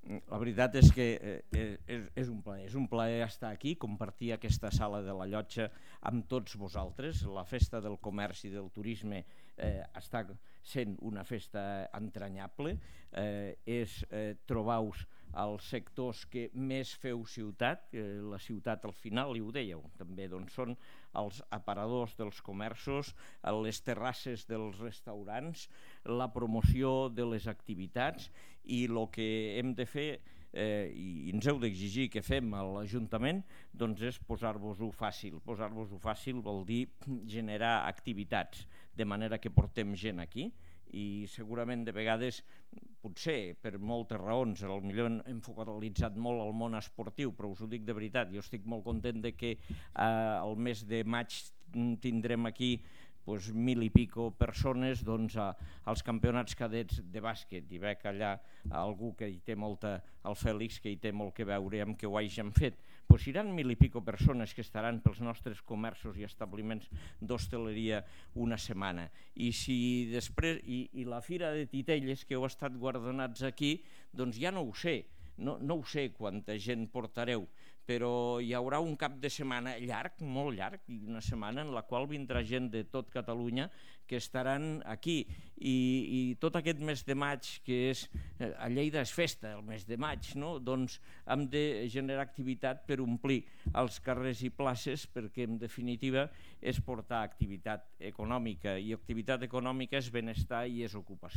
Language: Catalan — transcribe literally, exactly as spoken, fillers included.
La veritat és que és un plaer, és un plaer estar aquí, compartir aquesta sala de la Llotja amb tots vosaltres. La festa del comerç i del turisme eh, està sent una festa entranyable, eh, és eh, trobar-vos als sectors que més feu ciutat, eh, la ciutat al final, i ho dèieu també, doncs són els aparadors dels comerços, les terrasses dels restaurants, la promoció de les activitats, i el que hem de fer eh, i ens heu d'exigir que fem a l'Ajuntament doncs és posar-vos-ho fàcil. Posar-vos-ho fàcil vol dir generar activitats, de manera que portem gent aquí, i segurament de vegades, potser per moltes raons, potser hem focalitzat molt el món esportiu, però us ho dic de veritat, jo estic molt content de que eh, el mes de maig tindrem aquí doncs, mil i pico persones doncs, a, als campionats cadets de bàsquet, i veig allà algú que hi té molta, el Fèlix, que hi té molt que veure amb que ho hagin fet. Doncs seran mil i pico persones que estaran pels nostres comerços i establiments d'hostaleria una setmana. I, si després, i, i la Fira de Titelles, que heu estat guardonats aquí, doncs ja no ho sé, no, no ho sé quanta gent portareu, però hi haurà un cap de setmana llarg, molt llarg, i una setmana en la qual vindrà gent de tot Catalunya que estaran aquí, i, i tot aquest mes de maig, que és, a Lleida és festa el mes de maig, no? Doncs hem de generar activitat per omplir els carrers i places, perquè en definitiva és portar activitat econòmica, i activitat econòmica és benestar i és ocupació.